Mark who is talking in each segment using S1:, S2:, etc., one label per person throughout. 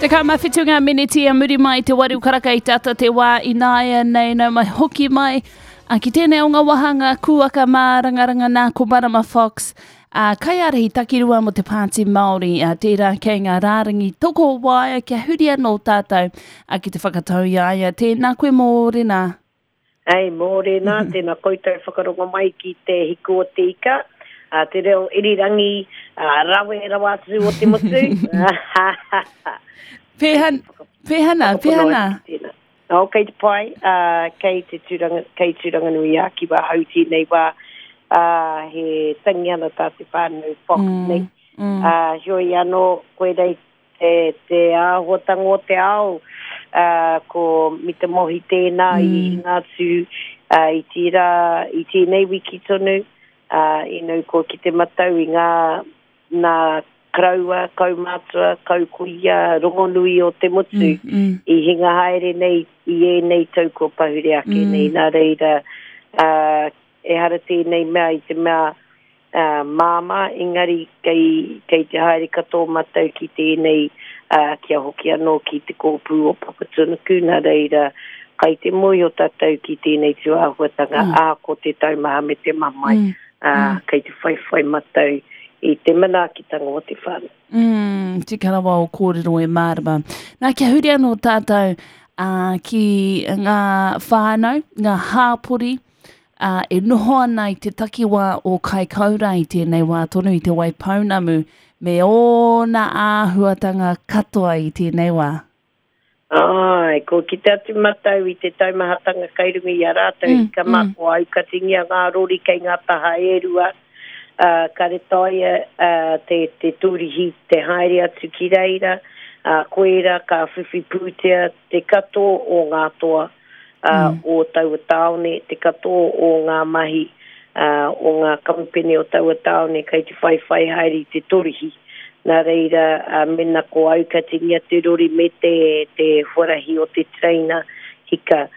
S1: 17 ngā meneti a muri mai te waru karaka i te ata te wā ināia nei nau mai hoki mai. A, ki tēnei o ngā wāhanga kūaka mārangaranga nā ko Marama Fox, a, kaiārahi takirua mō te Pāti Māori, a, tērā kei ngā rārangi toko waea kia huri anō tātou a, ki te whakatau i a ia. Tēnā koe mōrena.
S2: Hei, mōrena, tēnā koutou whakarongo mai ki te hiku o te ika, a, te reo irirangi a, rawe rawa atu o te motu.
S1: Pēhana, pēhana, pēhana.
S2: Oh, kei te pai, uh, kei te Tūranga, kei Tūranganui a Kiwa hau tēnei wā, uh, he tangihana tā te whānau Fox mm, nei. Mm. Uh, heoi anō, koirei te, te āhuatanga o te ao, ā, ko Mita Mohi tēnā mm. i hinga atu ā, i tērā, i tēnei wiki tonu, ā, i nau kua ki te matau i ngā, nā karaua, kaumātua, kaukuia, rongonui o te motu mm, mm. i hinga haere nei i ēnei tau kua pahure ake mm. nei. Nā reira, ā, ehara tēnei mea i te mea ā, māmā, engari kei, kei te haere katoa mātou ki tēnei, ā, kia hoki anō ki te kōpū o Papatuanuku, nā reira, kai te mōhio tātou ki tēnei tūāhuatanga, mm. ā, ko te taumaha me te mamae, mm. ā, mm. kei te whaiwhai mātou i te manaakitanga o te whānau.
S1: Mm, tika rawa o kōrero e mārama. Nā, kia huri anō tātou ā, ki ngā whānau, ngā hāpori, ā, e noho ana i te takiwā o Kaikoura i tēnei wā tonu i Te Waipounamu me ōna āhuatanga katoa i tēnei wā.
S2: Āe, kua kite atu matau i te taumahatanga kai runga i a rātou, mm, hika mā, mm. kua aukatingia ngā rori kei ngā taha e rua, ā, kare taea ā, te, te tūrihi te haere atu ki reira, ā, koera ka whiwhi pūtea te katoa o ngā toa, ā, mm. o taua tāone, te katoa o ngā mahi ā, o ngā kamupene o taua tāone kei te whaiwhai haere i te torihi. Nā reira, ā, mena ko aukatingia te rori me te, te huarahi o te tereina hika, ā,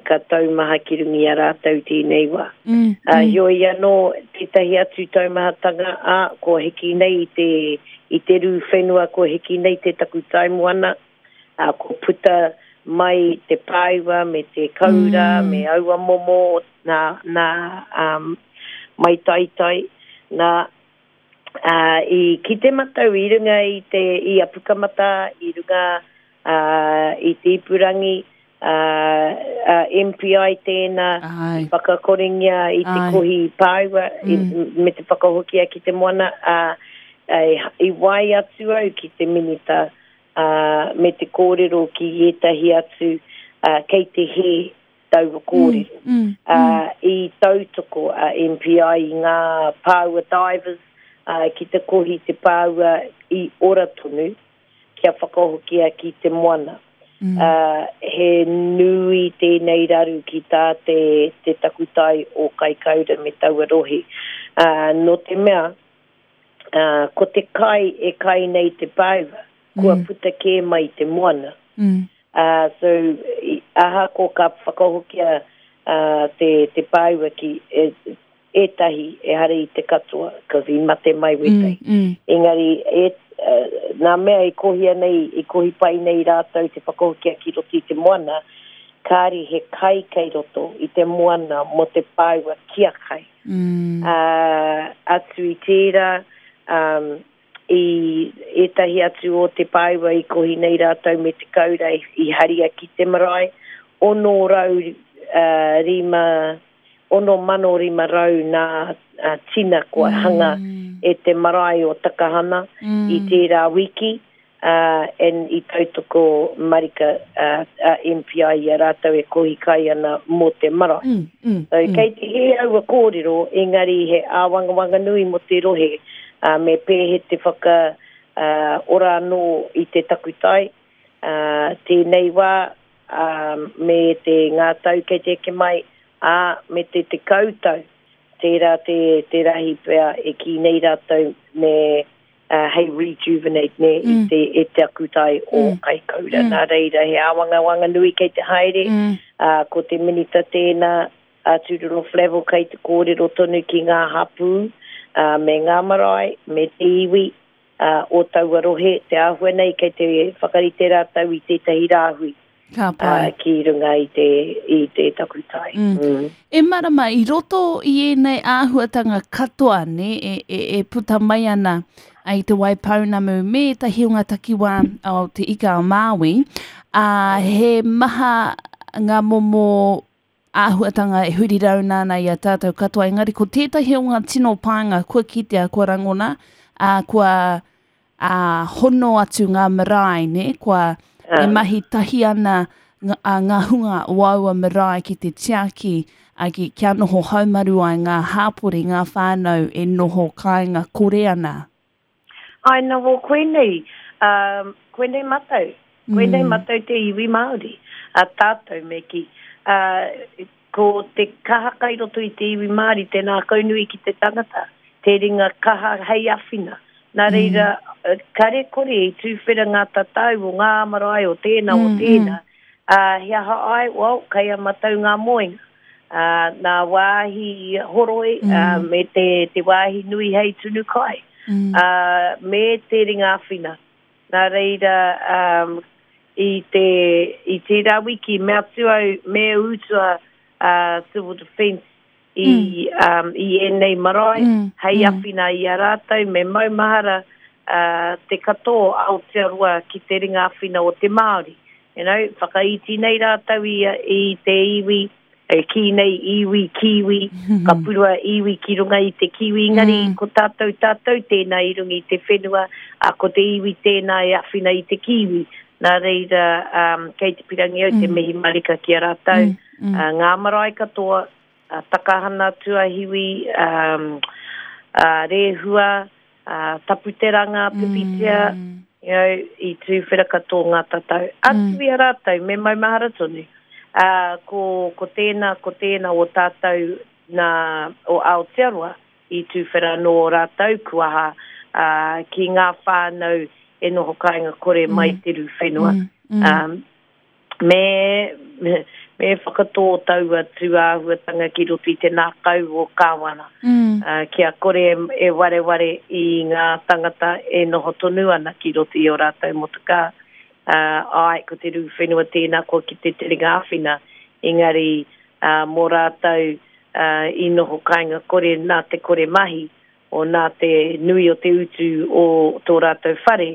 S2: ka taumaha ki runga i a rātou tēnei wā. Mm, mm. Heoi anō, tētahi atu taumahatanga, ā, kua hiki nei i te, i te rū whenua, kua hiki nei te takutai moana, ā, kua puta mai te pāua me te koura mm. me aua momo nā, nā um, maitaitai, nā, ā, i kite matou i runga i te, i a Pukamata, i runga ā, i te ipurangi, ā, ā, MPI tēnā, i whakakorengia i te kohi pāua, mm. i, me te whakahokia ki te moana, ā, i wae atu au ki te minita, ā, me te kōrero ki ētahi atu, ā, kei te hē taua kōrero. Mm, mm, ā, mm. I tautoko a MPI i ngā pāua divers, ā, ki te kohi te pāua i ora tonu, kia whakahokia ki te moana. Mm. Ā, he nui tēnei raru ki tā te, te takutai o Kaikaura me taua rohe. Ā, nō te mea, ā, ko te kai e kai nei te pāua, kua mm. puta kē mai te moana. Mm. Ā, so, ahako ka whakahokia ā, te, te pāua ki e, ētahi, ehara i te katoa, cause i mate mai wētahi. Mm, mm. Engari, e, uh, nā mea i kohia nei, i kohi pai nei rātou te whakahokia ki roto i te moana, kāri he kai kei roto i te moana mō te pāua kia kai. Mm. Ā, atu i tērā, um, i ētahi atu o te pāua i kohi nei rātou me te kaura i, i haria ki te marae, 600, uh, rima, 6,500 nā uh, tina kua mm. hanga e te marae o Takahana mm. i tērā wiki ā, and i tautoko marika a MPI i a rātou e kohi kai ana mō te marae. Mm, mm, so, mm. Kei te hē aua kōrero, engari he āwangawanga nui mō te rohe, ā, me pēhe te whaka ā, ora anō i te takutai, ā, tēnei wā, ā, me te ngā tau kei te eke mai, ā, me te tekau tau, tērā te, te rahi pea e kī nei rātou me uh, hei rejuvenate ne, mm. i te, e te akutai o mm. Kaikoura. Mm. Nā reira, he āwangawanga nui kei te haere, mm. uh, ko te minita tēnā, a Tūroro Flavell kei te kōrero tonu ki ngā hapū, uh, me ngā marae, me te iwi. O taua rohe, te āhua nei kei te whakarite rātou i tētahi rāhui
S1: Ka pai.
S2: ki runga i te, i te takutai.
S1: Mm. E marama, i roto i ēnei āhuatanga katoa, ne, e, e, e puta mai ana i Te Waipounamu me ētahi o ngā takiwā o Te Ika a Māui, ā, he maha ngā momo āhuatanga e huri rauna ana i a tātou katoa, engari ko tētahi o ngā tino pānga kua kitea, kua rangona, ā, kua ā, hono atu ngā marae, nē, kua e mahi tahi ana ngā, ā, ngā hunga o aua marae ki te tiaki, ā, ki, kia noho haumaru ai ngā hāpori, ngā whānau e noho kāinga kore ana.
S2: Āe na wō koinei, ā, koinei matou, koinei matou te iwi Māori, a tātou me kī. Ā, ko te kaha kai roto i te iwi Māori, te ngākaunui ki te tangata, te ringa kaha hei awhina. Nā reira, kare kore i tūwhera ngā tatau o ngā marae o tēnā, o tēnā, ā, he aha ai, well, kei a matou ngā moenga. Ā, nā wāhi horoi, ā, me te, te wāhi nui hei tunu kai, ā, me te ringa āwhina. Nā reira, ā, i te, i tērā wiki, mea atu au, me utua a Civil Defence i, ā, i ēnei marae, hei āwhina i a rātou, me maumahara, ā, te katoa o Aotearoa ki te ringa āwhina o te Māori. You know, whakaiti nei rātou i, i te iwi, e kī nei iwi, kiwi, ka purua iwi ki runga i te kiwi, engari mm. ko tātou, tātou tēnā i runga i te whenua, a ko te iwi tēnā e awhina i te kiwi. Nā reira, um, kei te pirangi au mm. te mihi marika ki a rātou, mm. Mm. Uh, ngā marae katoa, uh, Takahana Tuahiwi, um, uh, Rehua, ā, Taputeranga, Pipitea, you know, i tūwhera katoa ngā tatau. Atu i a rātou, me maumahara tonu, ā, ko, ko tēnā, ko tēnā o tātou nā, o Aotearoa i tūwhera anō ō rātou kuaha, ā, ki ngā whānau e noho kāinga kore mai te rū whenua. Ā, Me, me whakatō taua tūāhuatanga ki roto i te nākau o Kāwana, mm. uh, kia kore e wareware i ngā tangata e noho tonu ana ki roto i o rātou motokā. Uh, ai, ko te rū whenua tēnā kua ki te terenga āwhina, engari uh, mō rātou uh, i noho kāinga kore nā te kore mahi, o nā te nui o te utu o tō rātou whare,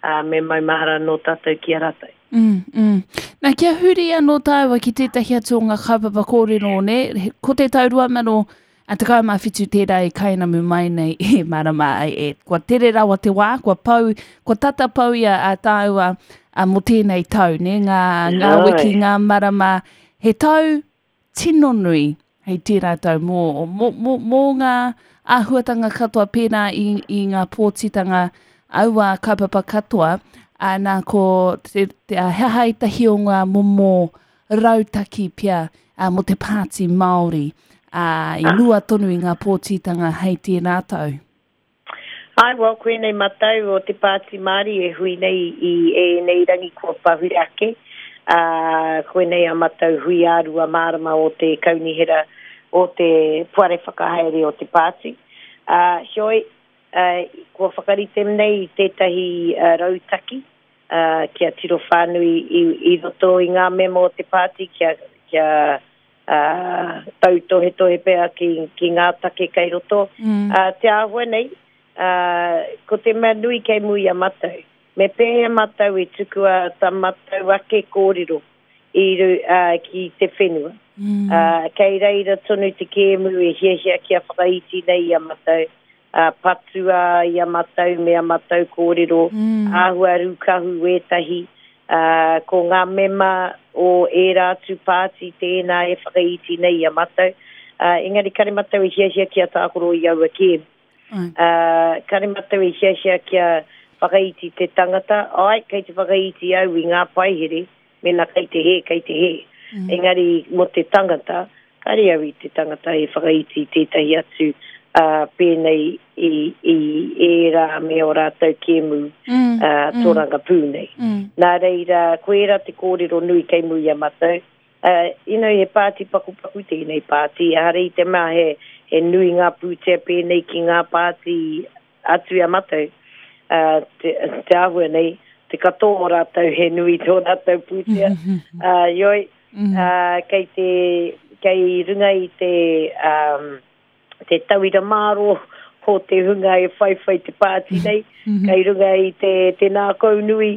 S2: ā, me maumahara anō tātou ki a rātou.
S1: Mm, mm. Nā, kia huri anō tāua ki tētahi atu o ngā kaupapa kōrero, nē, ko te tau 2017 tērā e kainamu mai nei e marama ai e. Kua tere rawa te wā, kua pau, kua tata pau ia a tāua a, mō tēnei tau, nē, ngā, ngā wiki, ngā marama. He tau tino nui hei tērā tau mō, mō, mō, mō ngā āhuatanga katoa pērā i, i ngā pōtitanga aua kaupapa katoa, ā, nā ko te, te, he aha ētahi o ngā momo rautaki pea ā, mō te Pāti Māori ā, i mua tonu i ngā pōtitanga hei tērā tau?
S2: Āe, well, koinei matau o te Pāti Māori e hui nei i ēnei rangi kua pahure ake, ā, koinei a matau hui ā-rua mārama o te kaunihera o te poari whakahaere o te pāti. Ā, heoi, ā, kua whakarite nei i tētahi rautaki, ā, kia tiro whānui i, i roto i ngā mema o te pāti kia, kia, ā, tautohetohe pea ki, ki ngā take kei roto. Mm. Ā, te āhua nei, ā, ko te mea nui kei mua i a matou, me pēhea matou e tukua tā matou ake kōrero i, ā, ki te whenua. Mm. Ā, kei reira tonu te kēmu e hiahia kia whakaiti nei i a matou, ā, patua i a matou me a matou kōrero, mm. āhua rūkahu wētahi, ā, ko ngā mema o ērā atu pāti tēnā e whakaiti nei i a matou, ā, engari kare matou e hiahia kia tākaro i aua kēmu. Ā, kare matou e hiahia kia whakaiti te tangata, āe, kei te whakaiti au i ngā paihere, Mēnā kei te hē, kei te hē. Engari mō te tangata, kāre au i te tangata e whakaiti i tētahi atu, ā, pēnei i, i ērā me ō rātou kēmu, ā, tōrangapū nei. Nā reira, ko ērā te kōrero nui kei mua i a matou. Ā, you know, he pāti pakupaku tēnei pāti, ehara i te mea he, he nui ngā pūtea pēnei ki ngā pāti atu i a matou. Te, te āhua nei, te katoa o rātou he nui tō rātou pūtea. Heoi, kei te, kei runga i te, um, te tauira mārō o te hunga e whaiwhai te pāti nei, kei runga i te, te nākau nui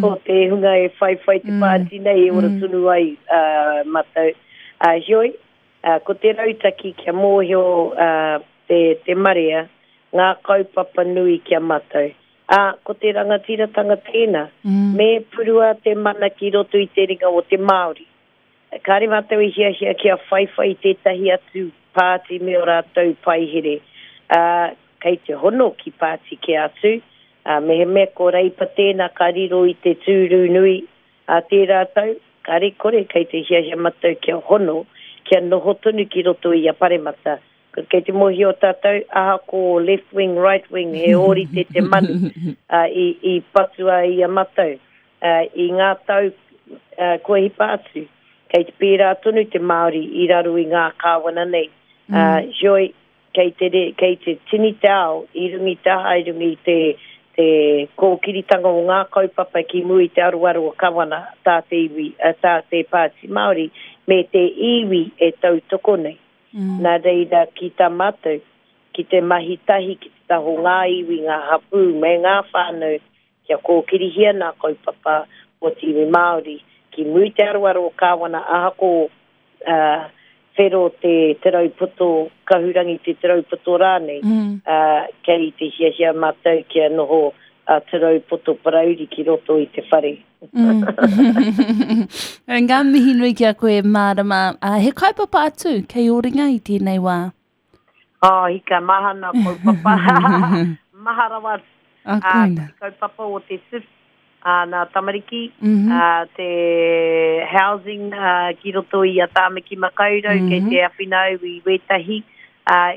S2: o te hunga e whaiwhai te pāti nei e ora tonu ai uh, mātou. Heoi, ko te rautaki kia mōhio te, te marea, ngā kaupapa nui ki a mātou. Ā, ko te rangatiratanga tēnā, me purua te mana ki roto i te ringa o te Māori. Kāre mātou i hiahia kia whaiwhai tētahi atu pāti me ō rātou paihere, ā, kei te hono ki pāti kē atu, ā, mehemea ko Reipa tēnā ka riro i te tūru nui ā tērā tau, kāre kore kei te hiahia mātou kia hono, kia noho tonu ki roto i a Paremata, Kei te mōhio tātou, ahako left wing, right wing, he ōrite te manu i patua i a matou i ngā tau kua hipa atu. Kei te pērā tonu te Māori i raro i ngā kāwana nei. Heoi, kei te, kei te tini te ao i runga i te aha, i runga i te, te kōkiritanga o ngā kaupapa ki mua i te aroaro o Kawana, tā te iwi, tā te Pāti Māori, me te iwi e tautoko nei. Nā reira, ki tā mātou, ki te mahi tahi ki te taha o ngā iwi, ngā hapū me ngā whānau kia kōkirihia nā kaupapa o te iwi Māori ki muri te aroaro o Kāwana ahako whero te Te Raupoto, Kahurangi te Te Raupoto rānei, kei te hiahia mātou kia noho a Te Raupoto Parauri ki roto i te whare.
S1: Mm. Ngā mihi nui ki a koe, Mārama. He kaupapa atu kei ō ringa i tēnei wā?
S2: Oh, hika, maha nā kaupapa. maha rawa atu.
S1: Ah, koina.
S2: Te kaupapa o te SIFS, nā tamariki, mm -hmm. te housing ki roto i a Tāmaki Makaurau, mm -hmm. kei te awhina au i wētahi.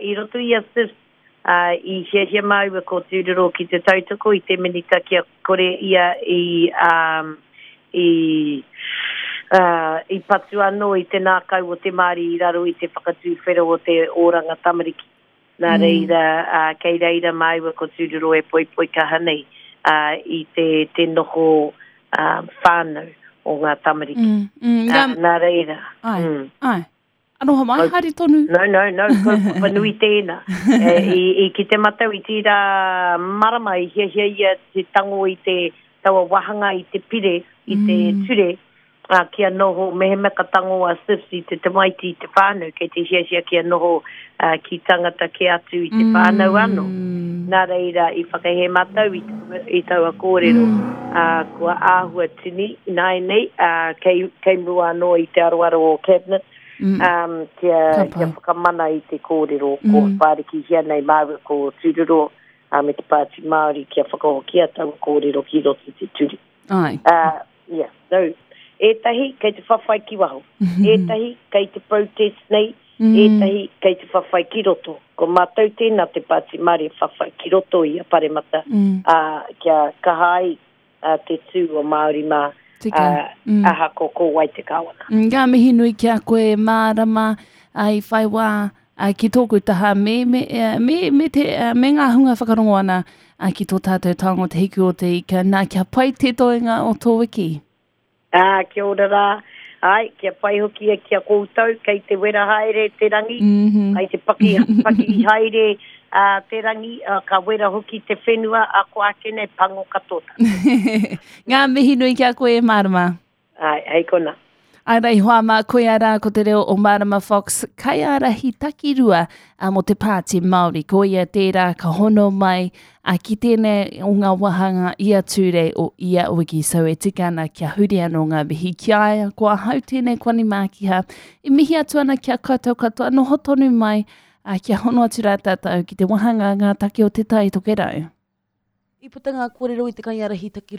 S2: I roto i a SIFS, Ā, i hiahia māua ko Tūroro ki te tautoko i te Minita kia kore ia i, ā, i, ā, i patu anō i te nākau o te Māori i raro i te whakatūwhera o te oranga tamariki. Nā reira, ā, kei reira māua ko Tūroro e poipoi kaha nei, ā, i te, te noho, ā, whānau o ngā tamariki. Ā, nā reira,
S1: Āe, āe. Aroha mai, haere tonu.
S2: No, no, no, kaupapa nui tēnā. E, i, i kite matau i tīrā marama i hiahia ia te tango i te taua wahanga i te pire, i te mm. ture, a, kia noho, mehemea ka tango a SIFS i te tamaiti i te whānau, kei te hiahia kia noho a, ki tangata kē atu i te mm. whānau anō. Nā reira, i whakahē matau i, i taua kōrero, mm. a, kua āhua tini, ināianei, a, kei, kei mua anō i te aroaro o Cabinet, mm. um, kia, kia whakamana i te kōrero mm. ko whārikihia nei māua ko Tūroro uh, me te Pāti Māori kia whakahokia taua kōrero ki roto i te ture.
S1: Ai.
S2: Uh, yeah, no. Ētahi kei te whawhai ki waho, ētahi kei te protest nei, mm. ētahi kei te whawhai ki roto. Ko mātou tēnā te Pāti Māori e whawhai ki roto i a Paremata, mm. uh, kia kaha ai a te tū o Māori mā,
S1: Tika.
S2: ā,
S1: Mm.
S2: ahako ko wai te kāwana.
S1: Mm, Ngā mihi nui ki a koe, Mārama, ā, i whai wā ā, ki tōku taha me, me, eh, me, me, te, eh, me ngā hunga whakarongo ana ā, ki tō tātou taonga o Te Hiku o Te Ika. Nā, kia pai te toenga o tō wiki.
S2: Ā, kia ora rā. Āe, kia pai hoki ki a koutou, kei te wera haere te rangi,
S1: mm -hmm.
S2: kei te paki, paki haere uh, te rangi, uh, ka wera hoki te whenua, a ko ake nei pango katoa.
S1: Ngā mihi nui ki a koe e Mārama.
S2: Āe, hei kona.
S1: Ai rei hoa mā, koia rā ko te reo o Mārama Fox, kaiārahi takirua mō te Pāti Māori. Ko ia tērā ka hono mai a, ki tēnei o ngā wāhanga ia Tūrei o ia wiki. So e tika ana kia huri anō ngā mihi ki a ia. Ko ahau tēnei Kwani Mākiha. E mihi atu ana ki a koutou katoa, noho tonu mai, a, kia hono atu rā tātou ki te wāhanga Ngā Take o Te Tai Tokerau.
S3: I puta ngā kōrero i te kaiārahi takirua.